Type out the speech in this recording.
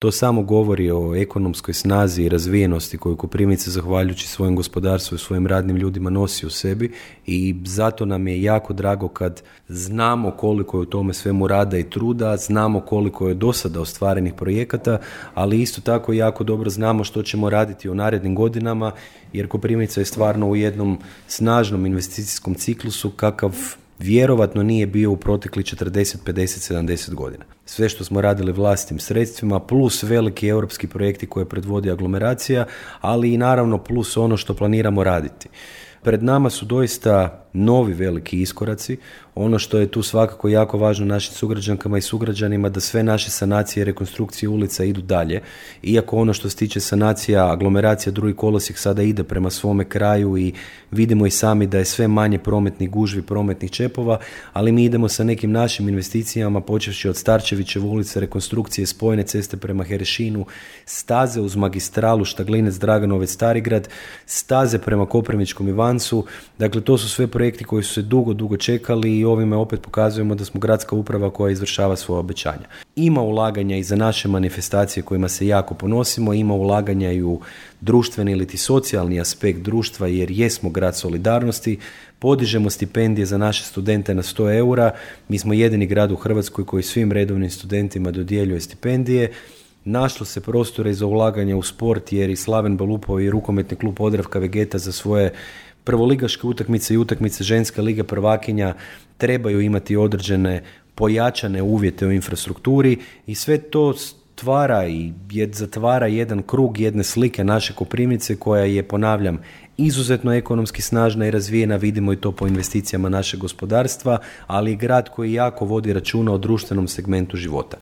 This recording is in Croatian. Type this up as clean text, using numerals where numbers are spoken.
To samo govori o ekonomskoj snazi i razvijenosti koju Koprivnica, zahvaljujući svojem gospodarstvu i svojim radnim ljudima, nosi u sebi i zato nam je jako drago kad znamo koliko je u tome svemu rada i truda, znamo koliko je do sada ostvarenih projekata, ali isto tako jako dobro znamo što ćemo raditi u narednim godinama, jer Koprivnica je stvarno u jednom snažnom investicijskom ciklusu kakav vjerovatno nije bio u protekli 40, 50, 70 godina. Sve što smo radili vlastitim sredstvima, plus veliki europski projekti koje predvodi aglomeracija, ali i naravno plus ono što planiramo raditi. Pred nama su doista novi veliki iskoraci. Ono što je tu svakako jako važno našim sugrađankama i sugrađanima, da sve naše sanacije i rekonstrukcije ulica idu dalje. Iako ono što se tiče sanacija, aglomeracija, drugi kolosijek sada ide prema svome kraju i vidimo i sami da je sve manje prometnih gužvi, prometnih čepova, ali mi idemo sa nekim našim investicijama, počevši od Starčevićeve ulice, rekonstrukcije spojne ceste prema Herešinu, staze uz magistralu Štaglinec, Draganovec, Starigrad, staze prema Koprivničkom Ivancu. Dakle, to su sve projekti koji su se dugo čekali i ovime opet pokazujemo da smo gradska uprava koja izvršava svoje obećanja. Ima ulaganja i za naše manifestacije kojima se jako ponosimo, ima ulaganja i u društveni ili socijalni aspekt društva, jer jesmo grad solidarnosti, podižemo stipendije za naše studente na 100 eura, mi smo jedini grad u Hrvatskoj koji svim redovnim studentima dodjeljuje stipendije. Našlo se prostora za ulaganje u sport, jer i Slaven Belupo i rukometni klub Podravka Vegeta za svoje prvoligaške utakmice i utakmice ženske lige prvakinja trebaju imati određene pojačane uvjete u infrastrukturi i sve to stvara i zatvara jedan krug jedne slike naše Koprivnice koja je, ponavljam, izuzetno ekonomski snažna i razvijena, vidimo i to po investicijama našeg gospodarstva, ali i grad koji jako vodi računa o društvenom segmentu života.